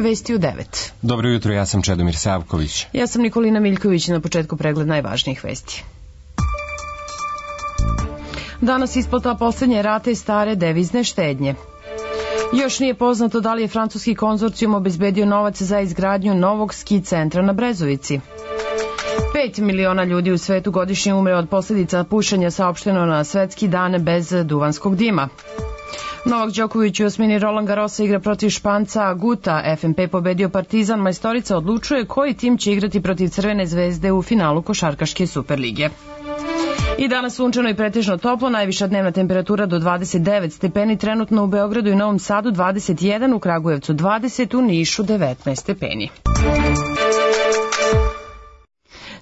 Vesti u 9. Dobro jutro, ja sam Čedomir Savković. Ja sam Nikolina Miljković, na početku pregled najvažnijih vesti. Danas isplata poslednje rate stare devizne štednje. Još nije poznato da li je francuski konzorcijum obezbedio novac za izgradnju novog ski centra na Brezovici. 5 miliona ljudi u svetu godišnje umre od posljedica pušenja, saopšteno na svetski dan bez duvanskog dima. Novak Đoković u osmini Roland Garrosa igra protiv Španca Guta. FNP pobedio Partizan. Majstorica odlučuje koji tim će igrati protiv Crvene zvezde u finalu košarkaške Superlige. I danas sunčano i pretežno toplo, najviša dnevna temperatura do 29 stepeni, trenutno u Beogradu i Novom Sadu 21, u Kragujevcu 20, u Nišu 19 stepeni.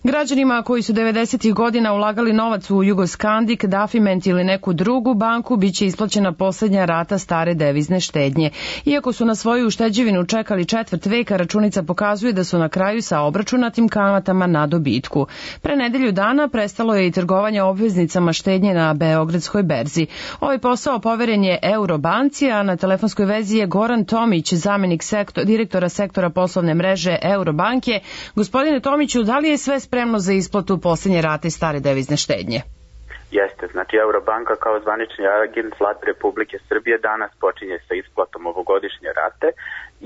Građanima koji su 90. godina ulagali novac u Jugoskandik, Dafiment ili neku drugu banku biće isplaćena poslednja rata stare devizne štednje. Iako su na svoju ušteđevinu čekali četvrt veka, računica pokazuje da su na kraju sa obračunatim kamatama na dobitku. Pre nedelju dana prestalo je i trgovanje obveznicama štednje na Beogradskoj berzi. Ovaj posao poveren je Eurobanci, a na telefonskoj vezi je Goran Tomić, zamenik direktora sektora poslovne mreže Eurobanke. Gospodine Tomiću, da li je sve spremno za isplatu poslednje rate stare devizne štednje? Jeste, znači Eurobanka kao zvanični agent Vlade Republike Srbije danas počinje sa isplatom ovogodišnje rate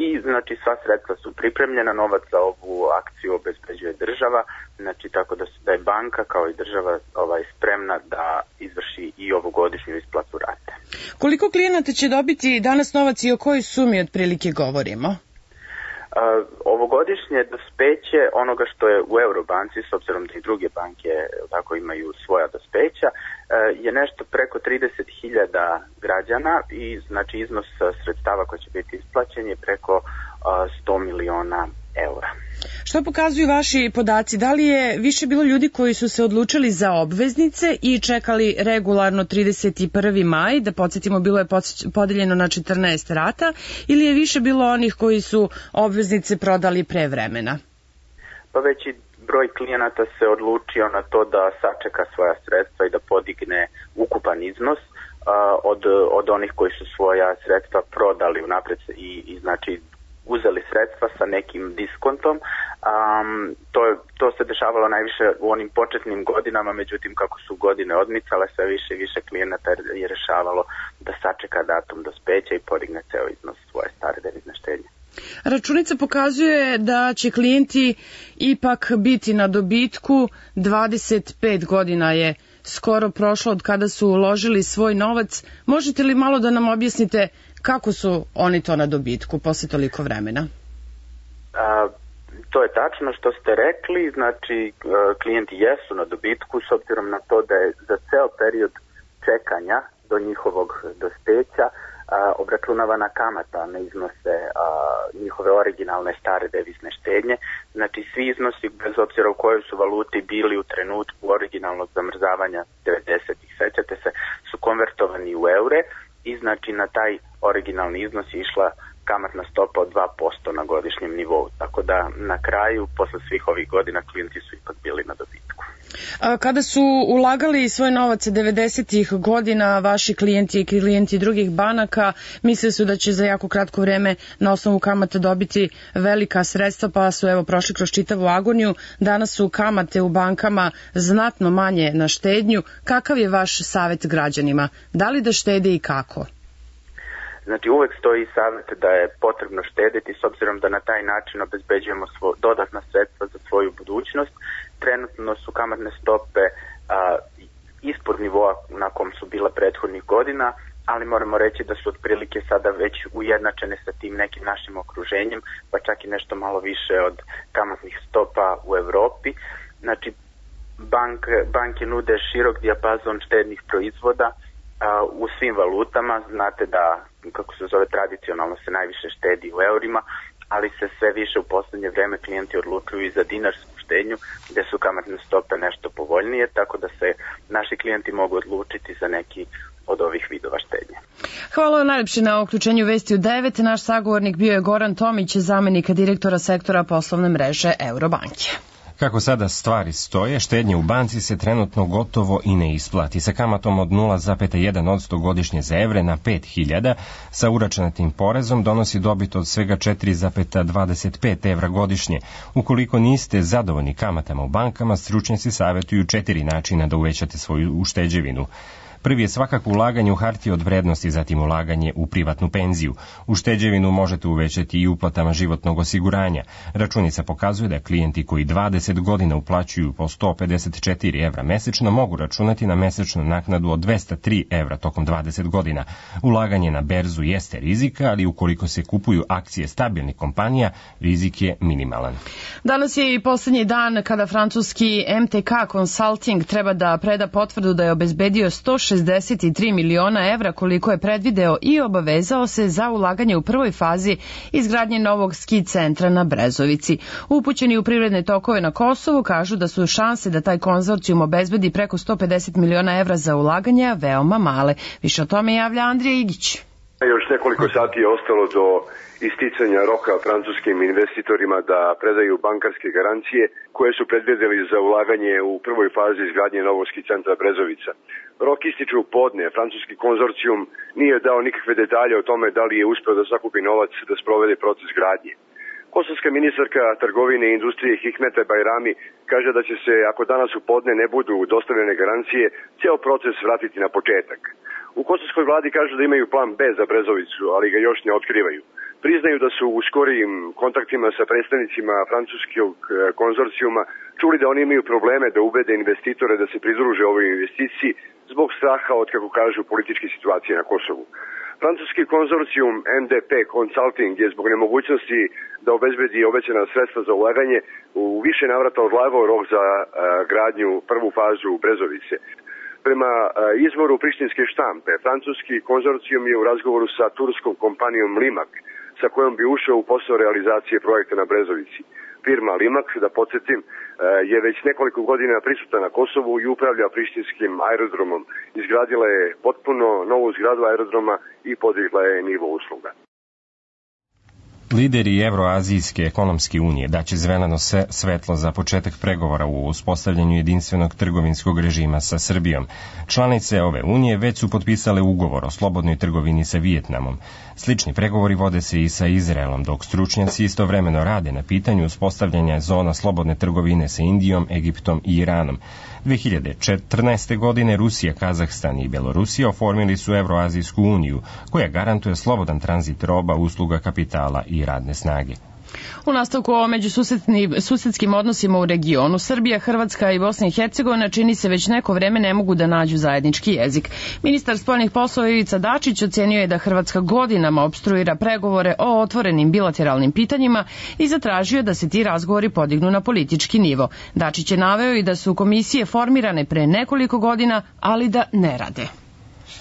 i znači sva sredstva su pripremljena, novac za ovu akciju obezbeđuje država, znači tako da je banka kao i država spremna da izvrši i ovogodišnju isplatu rate. Koliko klijenata će dobiti danas novac i o kojoj sumi otprilike govorimo? Ovogodišnje dospeće onoga što je u Eurobanci, s obzirom da i druge banke tako imaju svoja dospeća, je nešto preko 30.000 građana i znači iznos sredstava koji će biti isplaćen je preko 100 miliona eura. Što pokazuju vaši podaci? Da li je više bilo ljudi koji su se odlučili za obveznice i čekali regularno 31. maj, da podsjetimo bilo je podeljeno na 14 rata, ili je više bilo onih koji su obveznice prodali pre vremena? Pa veći broj klijenata se odlučio na to da sačeka svoja sredstva i da podigne ukupan iznos od onih koji su svoja sredstva prodali unapred i znači uzeli sredstva sa nekim diskontom. To se dešavalo najviše u onim početnim godinama, međutim kako su godine odmicale, sve više i više klijenata je rešavalo da sačeka datum dospeća i podigne ceo iznos svoje stare devizne štednje. Računica pokazuje da će klijenti ipak biti na dobitku. 25 godina je skoro prošlo od kada su uložili svoj novac. Možete li malo da nam objasnite kako su oni to na dobitku posle toliko vremena? To je tačno što ste rekli, znači klijenti jesu na dobitku s obzirom na to da je za ceo period čekanja do njihovog dospeća obračunavana kamata na iznose njihove originalne stare devizne štednje. Znači svi iznosi, bez obzira u kojoj su valuti bili u trenutku originalnog zamrzavanja 90-ih, sećate se, su konvertovani u eure i znači na taj originalni iznos je išla kamatna stopa od 2% na godišnjem nivou. Tako da na kraju, posle svih ovih godina, klijenti su ipak bili na dobitku. Kada su ulagali svoj novac 90-ih godina, vaši klijenti i klijenti drugih banaka misle su da će za jako kratko vreme na osnovu kamata dobiti velika sredstva, pa su evo prošli kroz čitavu agoniju. Danas su kamate u bankama znatno manje na štednju. Kakav je vaš savjet građanima? Da li da štede i kako? Znači uvek stoji savjet da je potrebno štediti s obzirom da na taj način obezbeđujemo dodatna sredstva za svoju budućnost. Trenutno su kamatne stope ispod nivoa na kom su bila prethodnih godina, ali moramo reći da su otprilike sada već ujednačene sa tim nekim našim okruženjem, pa čak i nešto malo više od kamatnih stopa u Evropi. Znači banke nude širok dijapazon štednih proizvoda u svim valutama. Znate da, kako se zove, tradicionalno se najviše štedi u eurima, ali se sve više u poslednje vreme klijenti odlučuju i za dinarsku štednju, gde su kamatne stope nešto povoljnije, tako da se naši klijenti mogu odlučiti za neki od ovih vidova štednje. Hvala vam najlepše na uključenju Vesti u 9. Naš sagovornik bio je Goran Tomić, zamenik direktora sektora poslovne mreže Eurobanke. Kako sada stvari stoje, štednje u banci se trenutno gotovo i ne isplati. Sa kamatom od 0,1% godišnje za evre na 5.000, sa uračunatim porezom donosi dobit od svega 4,25 evra godišnje. Ukoliko niste zadovoljni kamatama u bankama, stručnjaci savjetuju 4 načina da uvećate svoju ušteđevinu. Prvi je svakako ulaganje u hartije od vrednosti, zatim ulaganje u privatnu penziju. Ušteđevinu možete uvećati i uplatama životnog osiguranja. Računica pokazuje da klijenti koji 20 godina uplaćuju po 154 evra mesečno mogu računati na mesečnu naknadu od 203 evra tokom 20 godina. Ulaganje na berzu jeste rizika, ali ukoliko se kupuju akcije stabilnih kompanija, rizik je minimalan. Danas je i poslednji dan kada francuski MTK Consulting treba da preda potvrdu da je obezbedio 163 miliona evra koliko je predvideo i obavezao se za ulaganje u prvoj fazi izgradnje novog ski centra na Brezovici. Upućeni u privredne tokove na Kosovu kažu da su šanse da taj konzorcijum obezbedi preko 150 miliona evra za ulaganje veoma male. Više o tome javlja Andrija Igić. Još nekoliko sati je ostalo do isticanja roka francuskim investitorima da predaju bankarske garancije koje su predvideli za ulaganje u prvoj fazi izgradnje novog ski centra Brezovica. Rok ističe u podne. Francuski konzorcijum nije dao nikakve detalje o tome da li je uspeo da sakupi novac da sprovede proces gradnje. Kosovska ministarka trgovine i industrije Hikmete Bajrami kaže da će se, ako danas u podne ne budu dostavljene garancije, ceo proces vratiti na početak. U kosovskoj vladi kažu da imaju plan B za Brezovicu, ali ga još ne otkrivaju. Priznaju da su u skorijim kontaktima sa predstavnicima francuskog konzorcijuma čuli da oni imaju probleme da ubede investitore da se pridruže ovoj investiciji zbog straha od, kako kažu, političke situacije na Kosovu. Francuski konzorcijum MDP Consulting je zbog nemogućnosti da obezbedi obećana sredstva za ulaganje u više navrata odlagao rok za gradnju prvu fazu Brezovice. Prema izvoru prištinske štampe, francuski konzorcijum je u razgovoru sa turskom kompanijom Limak, sa kojom bi ušao u posao realizacije projekta na Brezovici. Firma Limak, da podsjetim, je već nekoliko godina prisutna na Kosovu i upravlja prištinskim aerodromom. Izgradila je potpuno novu zgradu aerodroma i podigla je nivo usluga. Lideri Evroazijske ekonomske unije daće zeleno svetlo za početak pregovora u uspostavljanju jedinstvenog trgovinskog režima sa Srbijom. Članice ove unije već su potpisale ugovor o slobodnoj trgovini sa Vijetnamom. Slični pregovori vode se i sa Izraelom, dok stručnjaci istovremeno rade na pitanju uspostavljanja zona slobodne trgovine sa Indijom, Egiptom i Iranom. 2014. godine Rusija, Kazahstan i Belorusija oformili su Evroazijsku uniju, koja garantuje slobodan tranzit roba, usluga, kapitala i radne snage. U nastavku o međususedskim odnosima u regionu, Srbija, Hrvatska i Bosna i Hercegovina čini se već neko vreme ne mogu da nađu zajednički jezik. Ministar spoljnih poslova Ivica Dačić ocenio je da Hrvatska godinama opstruira pregovore o otvorenim bilateralnim pitanjima i zatražio da se ti razgovori podignu na politički nivo. Dačić je naveo i da su komisije formirane pre nekoliko godina, ali da ne rade.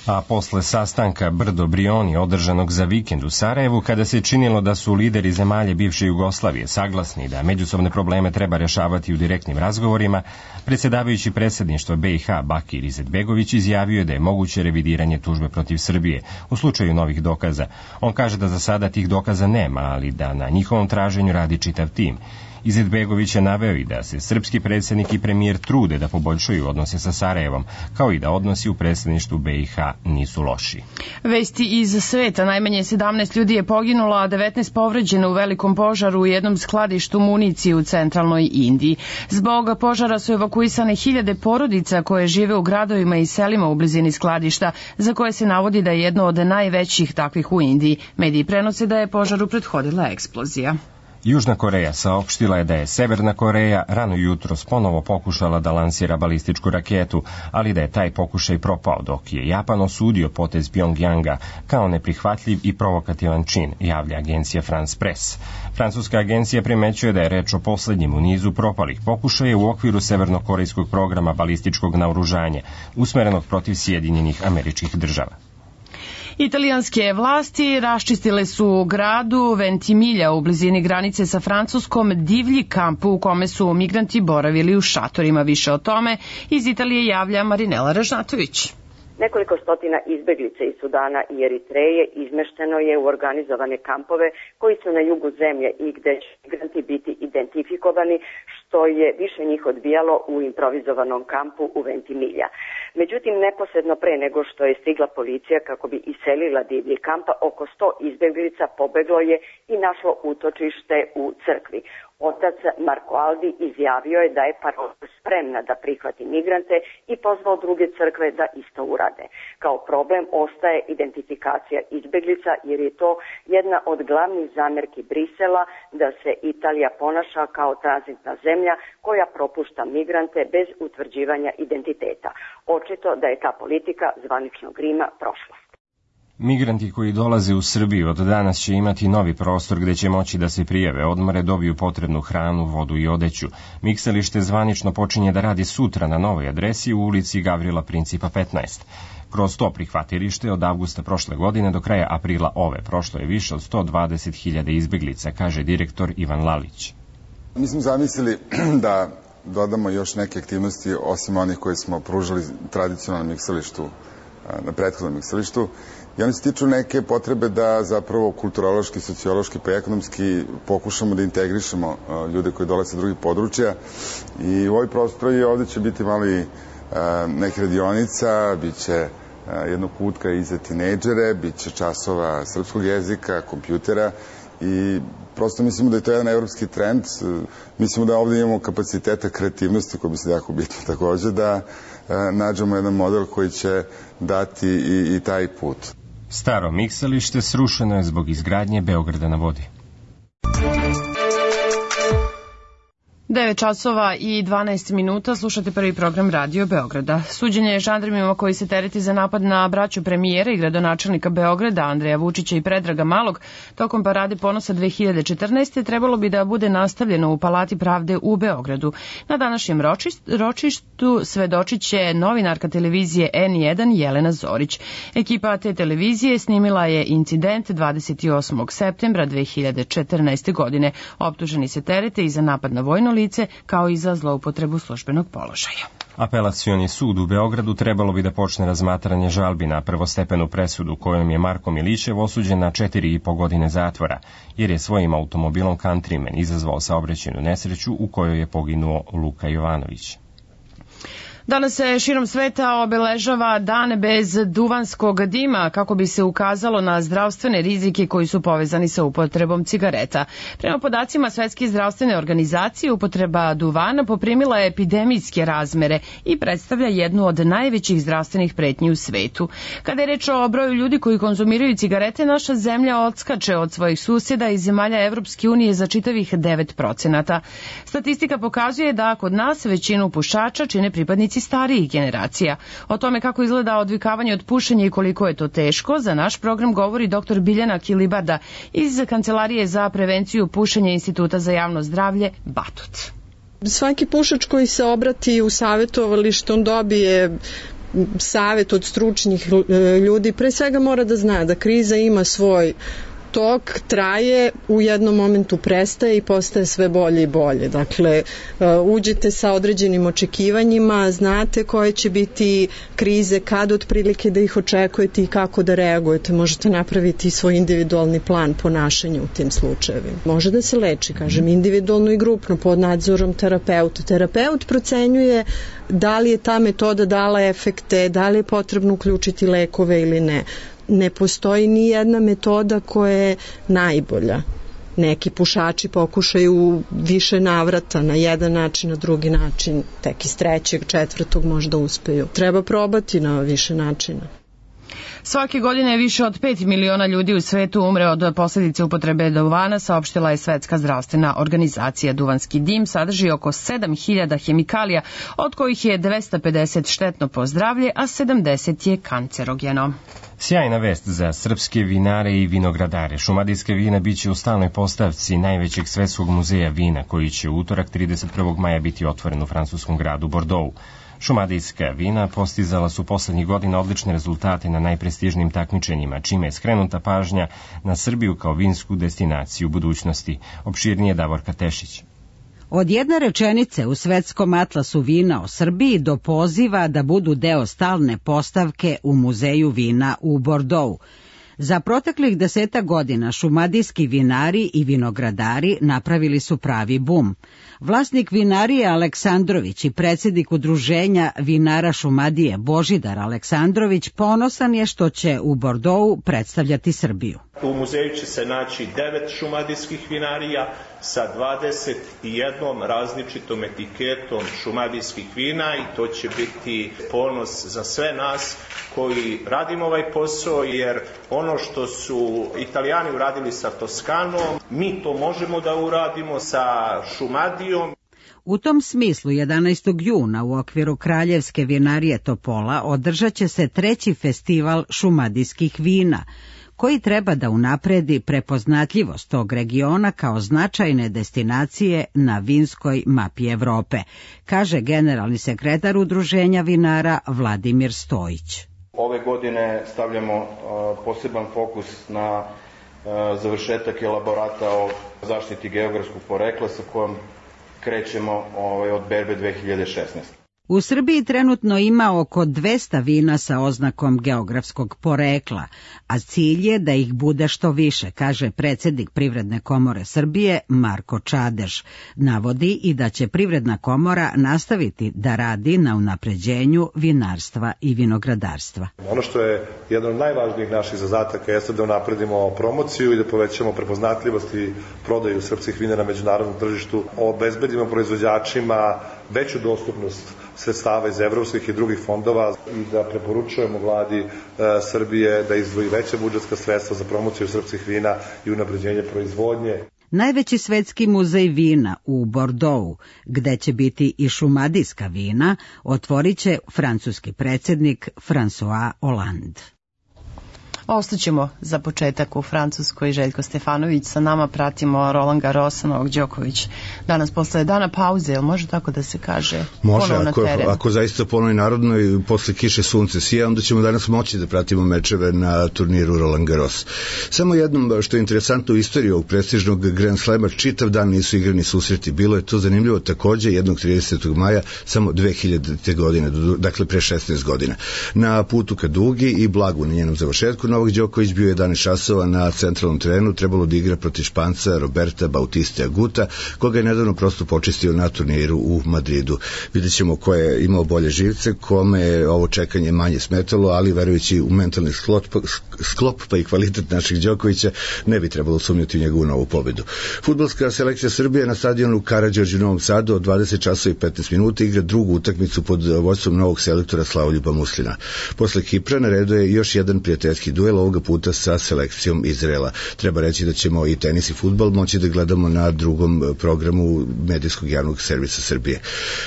A posle sastanka Brdo Brioni održanog za vikend u Sarajevu, kada se činilo da su lideri zemalje bivše Jugoslavije saglasni da međusobne probleme treba rešavati u direktnim razgovorima, predsjedavajući predsjedništva BiH Bakir Izetbegović izjavio je da je moguće revidiranje tužbe protiv Srbije u slučaju novih dokaza. On kaže da za sada tih dokaza nema, ali da na njihovom traženju radi čitav tim. Izetbegović je naveo i da se srpski predsjednik i premijer trude da poboljšaju odnose sa Sarajevom, kao i da odnosi u predsjedništvu BiH nisu loši. Vesti iz sveta. Najmanje 17 ljudi je poginulo, a 19 povređeno u velikom požaru u jednom skladištu municije u centralnoj Indiji. Zbog požara su evakuisane hiljade porodica koje žive u gradovima i selima u blizini skladišta, za koje se navodi da je jedno od najvećih takvih u Indiji. Mediji prenose da je požaru prethodila eksplozija. Južna Koreja saopštila je da je Severna Koreja rano jutros ponovo pokušala da lansira balističku raketu, ali da je taj pokušaj propao, dok je Japan osudio potez Pjongjanga kao neprihvatljiv i provokativan čin, javlja agencija France Press. Francuska agencija primećuje da je reč o poslednjem u nizu propalih pokušaja u okviru severnokorejskog programa balističkog naoružanja, usmerenog protiv Sjedinjenih Američkih Država. Italijanske vlasti raščistile su u gradu Ventimiglia u blizini granice sa Francuskom divlji kamp u kome su migranti boravili u šatorima. Više o tome iz Italije javlja Marinela Ražnatović. Nekoliko stotina izbeglica iz Sudana i Eritreje izmešteno je u organizovane kampove koji su na jugu zemlje i gde će migranti biti identifikovani, što je više njih odbijalo u improvizovanom kampu u Ventimiglia. Međutim, neposredno pre nego što je stigla policija kako bi iselila divlji kampa, oko 100 izbeglica pobeglo je i našlo utočište u crkvi. Otac Marko Aldi izjavio je da je parola spremna da prihvati migrante i pozvao druge crkve da isto urade. Kao problem ostaje identifikacija izbeglica, jer je to jedna od glavnih zamerki Brisela da se Italija ponaša kao tranzitna zemlja koja propušta migrante bez utvrđivanja identiteta. Očito da je ta politika zvaničnog Rima prošlost. Migranti koji dolaze u Srbiju od danas će imati novi prostor gde će moći da se prijave, odmore, dobiju potrebnu hranu, vodu i odeću. Mikselište zvanično počinje da radi sutra na novoj adresi u ulici Gavrila Principa 15. Kroz to prihvatilište od avgusta prošle godine do kraja aprila ove prošlo je više od 120.000 izbeglica, kaže direktor Ivan Lalić. Mi smo zamislili da dodamo još neke aktivnosti osim onih koje smo pružali tradicionalnom mikselištu, na prethodnom mikselištu. I oni se tiču neke potrebe da zapravo kulturološki, sociološki pa ekonomski pokušamo da integrišemo ljude koji dolaze sa drugih područja. I u ovoj prostori ovde će biti malo i neke radionica, bit će jednog kutka i za tinejdžere, bit će časova srpskog jezika, kompjutera i prosto mislimo da je to jedan evropski trend. Mislimo da ovde imamo kapaciteta kreativnosti, koji bi se jako bitno takođe, da nađemo jedan model koji će dati i taj put. Staro mikselište srušeno je zbog izgradnje Beograda na vodi. 9 časova i 12 minuta, slušate prvi program Radio Beograda. Suđenje žandarmima koji se tereti za napad na braću premijera i gradonačelnika Beograda, Andreja Vučića i Predraga Malog, tokom Parade ponosa 2014. trebalo bi da bude nastavljeno u Palati pravde u Beogradu. Na današnjem ročištu svedočit će novinarka televizije N1 Jelena Zorić. Ekipa te televizije snimila je incident 28. septembra 2014. godine. Optuženi se terete i za napad na vojno lice, kao i za zloupotrebu službenog položaja. Apelacioni sud u Beogradu trebalo bi da počne razmatranje žalbi na prvostepenu presudu kojom je Marko Milićev osuđen na 4,5 godine zatvora, jer je svojim automobilom Countryman izazvao saobraćajnu nesreću u kojoj je poginuo Luka Jovanović. Danas se širom sveta obeležava Dan bez duvanskog dima kako bi se ukazalo na zdravstvene rizike koji su povezani sa upotrebom cigareta. Prema podacima Svetske zdravstvene organizacije, upotreba duvana poprimila je epidemijske razmere i predstavlja jednu od najvećih zdravstvenih pretnji u svetu. Kada je reč o broju ljudi koji konzumiraju cigarete, naša zemlja odskače od svojih susjeda i zemalja Evropske unije za čitavih 9%. Statistika pokazuje da kod nas većinu pušača čine pripadnici starijih generacija. O tome kako izgleda odvikavanje od pušenja i koliko je to teško, za naš program govori dr. Biljana Kilibarda iz Kancelarije za prevenciju pušenja Instituta za javno zdravlje Batut. Svaki pušač koji se obrati u savjetovalište, on dobije savjet od stručnih ljudi. Pre svega mora da zna da kriza ima svoj tok, traje, u jednom momentu prestaje i postaje sve bolje i bolje. Dakle, uđete sa određenim očekivanjima, znate koje će biti krize, kad otprilike da ih očekujete i kako da reagujete. Možete napraviti svoj individualni plan ponašanja u tim slučajevima. Može da se leči, kažem, individualno i grupno pod nadzorom terapeuta. Terapeut procenjuje da li je ta metoda dala efekte, da li je potrebno uključiti lekove ili ne. Ne postoji ni jedna metoda koja je najbolja. Neki pušači pokušaju više navrata, na jedan način, na drugi način, tek iz 3., 4. možda uspeju. Treba probati na više načina. Svake godine više od 5 miliona ljudi u svetu umre od posljedice upotrebe duvana, saopštila je Svetska zdravstvena organizacija. Duvanski dim sadrži oko 7.000 hemikalija, od kojih je 250 štetno po zdravlje, a 70 je kancerogeno. Sjajna vest za srpske vinare i vinogradare. Šumadijske vina biće u stalnoj postavci najvećeg svetskog muzeja vina, koji će u utorak 31. maja biti otvoren u francuskom gradu Bordeaux. Šumadijska vina postizala su poslednjih godina odlične rezultate na najprestižnijim takmičenjima, čime je skrenuta pažnja na Srbiju kao vinsku destinaciju budućnosti. Opširnije Davorka Tešić. Od jedne rečenice u svetskom atlasu vina o Srbiji do poziva da budu deo stalne postavke u muzeju vina u Bordeaux. Za proteklih 10 godina šumadijski vinari i vinogradari napravili su pravi bum. Vlasnik vinarije Aleksandrović i predsjednik udruženja vinara Šumadije Božidar Aleksandrović ponosan je što će u Bordeauxu predstavljati Srbiju. U muzeju će se naći 9 šumadijskih vinarija sa 21 različitom etiketom šumadijskih vina i to će biti ponos za sve nas koji radimo ovaj posao, jer ono što su Italijani uradili sa Toskanom, mi to možemo da uradimo sa Šumadijom. U tom smislu 11. juna u okviru Kraljevske vinarije Topola održat će se 3. festival šumadijskih vina, koji treba da unapredi prepoznatljivost tog regiona kao značajne destinacije na vinskoj mapi Evrope, kaže generalni sekretar udruženja vinara Vladimir Stojić. Ove godine stavljamo poseban fokus na završetak elaborata o zaštiti geografskog porekla sa kojom krećemo od berbe 2016. U Srbiji trenutno ima oko 200 vina sa oznakom geografskog porekla, a cilj je da ih bude što više, kaže predsjednik Privredne komore Srbije Marko Čadež. Navodi i da će Privredna komora nastaviti da radi na unapređenju vinarstva i vinogradarstva. Ono što je jedan od najvažnijih naših zadataka jeste da unapredimo promociju i da povećamo prepoznatljivost i prodaju srpskih vina na međunarodnom tržištu, obezbedimo proizvođačima veću dostupnost sredstava iz evropskih i drugih fondova i da preporučujemo vladi Srbije da izdvoji veća budžetska sredstva za promociju srpskih vina i unapređenje proizvodnje. Najveći svetski muzej vina u Bordeauxu, gde će biti i šumadijska vina, otvorit će francuski predsjednik François Hollande. Ostaćemo za početak u Francuskoj. Željko Stefanović sa nama, pratimo Roland Garrosa, Novak Đoković. Danas posle dana pauze, ili može tako da se kaže? Može, ako zaista ponovi narodno i posle kiše sunce sija, onda ćemo danas moći da pratimo mečeve na turniru Roland Garros. Samo jednom što je interesantno u istoriji ovog prestižnog Grand Slema, čitav dan nisu igrani susreti. Bilo je to zanimljivo takođe jednog 30. maja, samo 2000. godine, dakle pre 16 godina. Na putu ka Dugi i Blagu na njenom završetku, Novak Đoković bio 11 časova na centralnom terenu, trebalo da igra protiv Španca Roberta Bautista Aguta, koga je nedavno prosto počistio na turniru u Madridu. Vidjet ćemo ko je imao bolje živce, kome je ovo čekanje manje smetalo, ali verujući u mentalni sklop pa i kvalitet naših Đokovića, ne bi trebalo sumnjati u njegovu novu pobedu. Fudbalska selekcija Srbije na stadionu Karađorđe u Novom Sadu od 20 časova i 15 minuta igra drugu utakmicu pod vođstvom novog selektora Slavoljuba Muslina. Posle Kipra na redu je još jedan prijateljski duel, ovoga puta sa selekcijom Izraela. Treba reći da ćemo i tenis i fudbal moći da gledamo na drugom programu medijskog javnog servisa Srbije.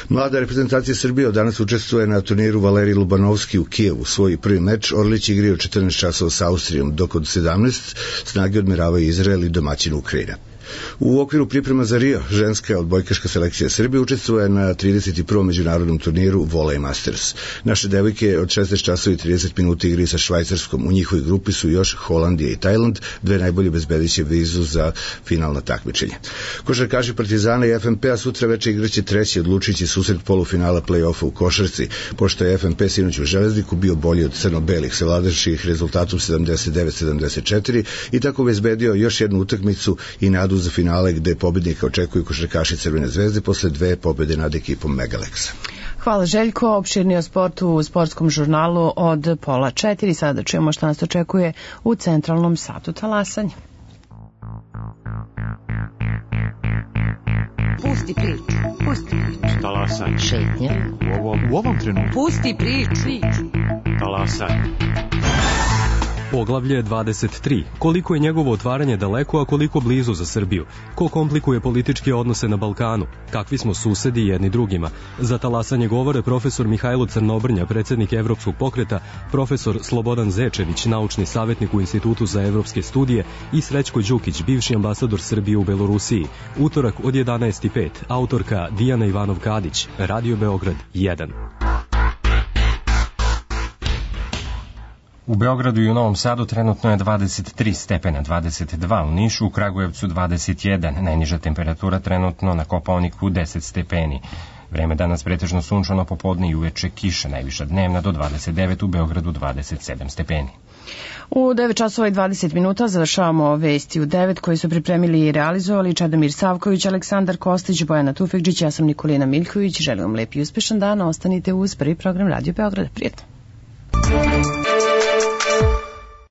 Mlada reprezentacija Srbije od danas učestvuje na turniru Valerij Lubanovski u Kijevu. Svoj prvi meč Orlić igraju 14 časova sa Austrijom, dok od 17 snage odmeravaju Izrael i domaćin Ukrajina. U okviru priprema za Rio, ženska odbojkaška selekcija Srbije učestvuje na 31. međunarodnom turniru Volley Masters. Naše devojke od 16 časova i 30 minuta igraju sa Švajcarskom. U njihovoj grupi su još Holandija i Tajland, dve najbolje bezbediće vizu za finalno takmičenje. Košarkaši Partizana i FNP-a sutra veče igraće treći odlučujući susret polufinala play-offa u košarci, pošto je FNP sinoć u Železniku bio bolji od crno-belih, savladavši rezultatom 79-74 i tako bezbedio još jednu utakmicu i nadu za finale gde pobednika očekuju košarkaši Crvene zvezde posle dve pobede nad ekipom Megalexa. Hvala Željko, opširni o sportu u sportskom žurnalu od 3:30. Sada čujemo šta nas očekuje u centralnom satu talasanja. Pusti priču, pusti priču. Talasanje. Šetnje. U ovom trenutku. Pusti priču. Talasanje. Poglavlje 23. Koliko je njegovo otvaranje daleko, a koliko blizu za Srbiju? Ko komplikuje političke odnose na Balkanu? Kakvi smo susedi jedni drugima? Za talasanje govore profesor Mihajlo Crnobrnja, predsjednik Evropskog pokreta, profesor Slobodan Zečević, naučni savjetnik u Institutu za evropske studije i Srećko Đukić, bivši ambasador Srbije u Belorusiji. Utorak od 11:05. Autorka Dijana Ivanov-Kadić, Radio Beograd 1. U Beogradu i u Novom Sadu trenutno je 23 stepena, 22 u Nišu, u Kragujevcu 21, najniža temperatura trenutno na Kopaoniku 10 stepeni. Vreme danas pretežno sunčano, popodne i uveče kiša, najviša dnevna do 29, u Beogradu 27 stepeni. U 9 časova i 20 minuta završavamo vesti u 9 koje su pripremili i realizovali Čedomir Savković, Aleksandar Kostić, Bojana Tufekđić, ja sam Nikolina Miljković. Želim vam lep i uspešan dan, ostanite uz prvi program Radio Beograda. Prijetno.